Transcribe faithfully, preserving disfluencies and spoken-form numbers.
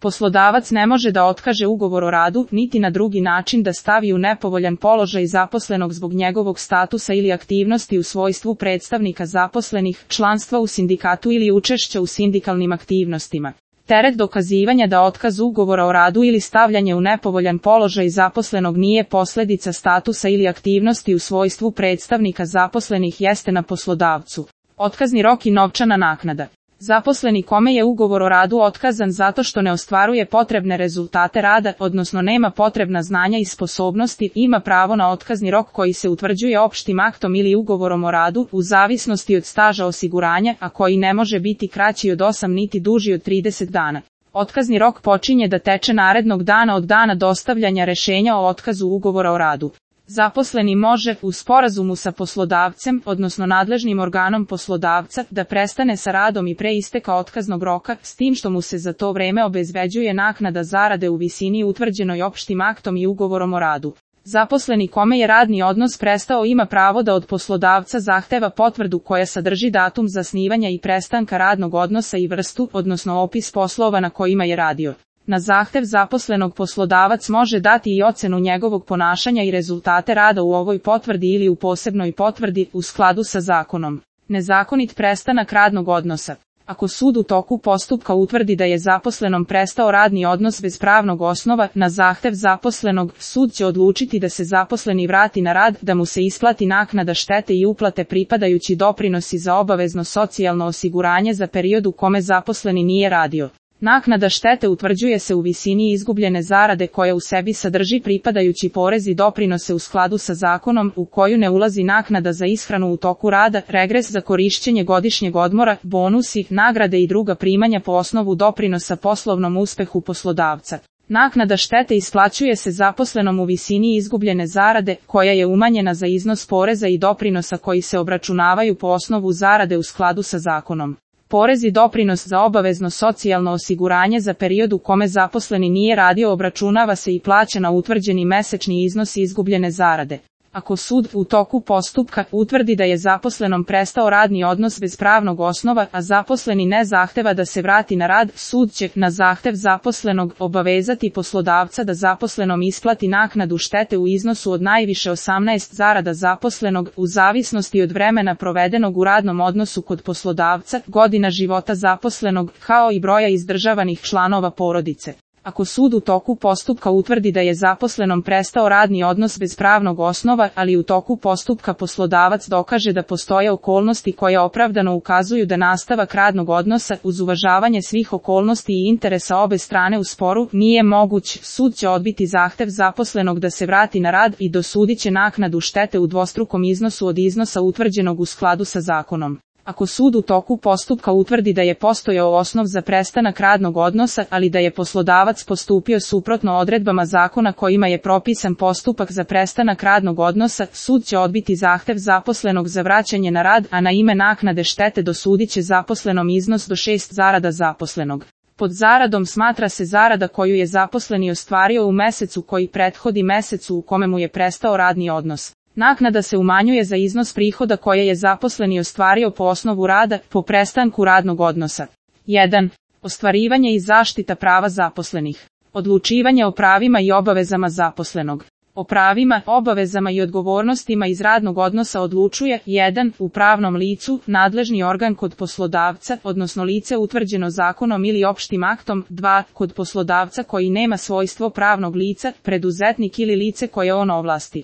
Poslodavac ne može da otkaže ugovor o radu, niti na drugi način da stavi u nepovoljan položaj zaposlenog zbog njegovog statusa ili aktivnosti u svojstvu predstavnika zaposlenih, članstva u sindikatu ili učešća u sindikalnim aktivnostima. Teret dokazivanja da otkaz ugovora o radu ili stavljanje u nepovoljan položaj zaposlenog nije posljedica statusa ili aktivnosti u svojstvu predstavnika zaposlenih jeste na poslodavcu. Otkazni rok i novčana naknada. Zaposleni kome je ugovor o radu otkazan zato što ne ostvaruje potrebne rezultate rada, odnosno nema potrebna znanja i sposobnosti, ima pravo na otkazni rok koji se utvrđuje opštim aktom ili ugovorom o radu, u zavisnosti od staža osiguranja, a koji ne može biti kraći od osam niti duži od trideset dana. Otkazni rok počinje da teče narednog dana od dana dostavljanja rešenja o otkazu ugovora o radu. Zaposleni može, u sporazumu sa poslodavcem, odnosno nadležnim organom poslodavca, da prestane sa radom i pre isteka otkaznog roka, s tim što mu se za to vreme obezbeđuje naknada zarade u visini utvrđenoj opštim aktom i ugovorom o radu. Zaposleni kome je radni odnos prestao ima pravo da od poslodavca zahteva potvrdu koja sadrži datum zasnivanja i prestanka radnog odnosa i vrstu, odnosno opis poslova na kojima je radio. Na zahtev zaposlenog poslodavac može dati i ocenu njegovog ponašanja i rezultate rada u ovoj potvrdi ili u posebnoj potvrdi, u skladu sa zakonom. Nezakonit prestanak radnog odnosa. Ako sud u toku postupka utvrdi da je zaposlenom prestao radni odnos bez pravnog osnova, na zahtev zaposlenog, sud će odlučiti da se zaposleni vrati na rad, da mu se isplati naknada štete i uplate pripadajući doprinosi za obavezno socijalno osiguranje za period u kome zaposleni nije radio. Naknada štete utvrđuje se u visini izgubljene zarade koja u sebi sadrži pripadajući porez i doprinose u skladu sa zakonom, u koju ne ulazi naknada za ishranu u toku rada, regres za korišćenje godišnjeg odmora, bonusi, nagrade i druga primanja po osnovu doprinosa poslovnom uspehu poslodavca. Naknada štete isplaćuje se zaposlenom u visini izgubljene zarade, koja je umanjena za iznos poreza i doprinosa koji se obračunavaju po osnovu zarade u skladu sa zakonom. Porez i doprinos za obavezno socijalno osiguranje za period u kome zaposleni nije radio obračunava se i plaća na utvrđeni mesečni iznos izgubljene zarade. Ako sud u toku postupka utvrdi da je zaposlenom prestao radni odnos bez pravnog osnova, a zaposleni ne zahteva da se vrati na rad, sud će, na zahtev zaposlenog, obavezati poslodavca da zaposlenom isplati naknadu štete u iznosu od najviše osamnaest zarada zaposlenog, u zavisnosti od vremena provedenog u radnom odnosu kod poslodavca, godina života zaposlenog, kao i broja izdržavanih članova porodice. Ako sud u toku postupka utvrdi da je zaposlenom prestao radni odnos bez pravnog osnova, ali u toku postupka poslodavac dokaže da postoje okolnosti koje opravdano ukazuju da nastavak radnog odnosa, uz uvažavanje svih okolnosti i interesa obe strane u sporu, nije moguć, sud će odbiti zahtev zaposlenog da se vrati na rad i dosudit će naknadu štete u dvostrukom iznosu od iznosa utvrđenog u skladu sa zakonom. Ako sud u toku postupka utvrdi da je postojao osnov za prestanak radnog odnosa, ali da je poslodavac postupio suprotno odredbama zakona kojima je propisan postupak za prestanak radnog odnosa, sud će odbiti zahtev zaposlenog za vraćanje na rad, a na ime naknade štete dosudit će zaposlenom iznos do šest zarada zaposlenog. Pod zaradom smatra se zarada koju je zaposleni ostvario u mesecu koji prethodi mesecu u kome mu je prestao radni odnos. Naknada se umanjuje za iznos prihoda koje je zaposleni ostvario po osnovu rada, po prestanku radnog odnosa. jedan. Ostvarivanje i zaštita prava zaposlenih. Odlučivanje o pravima i obavezama zaposlenog. O pravima, obavezama i odgovornostima iz radnog odnosa odlučuje jedan. U pravnom licu, nadležni organ kod poslodavca, odnosno lice utvrđeno zakonom ili opštim aktom. dva. Kod poslodavca koji nema svojstvo pravnog lica, preduzetnik ili lice koje on ovlasti.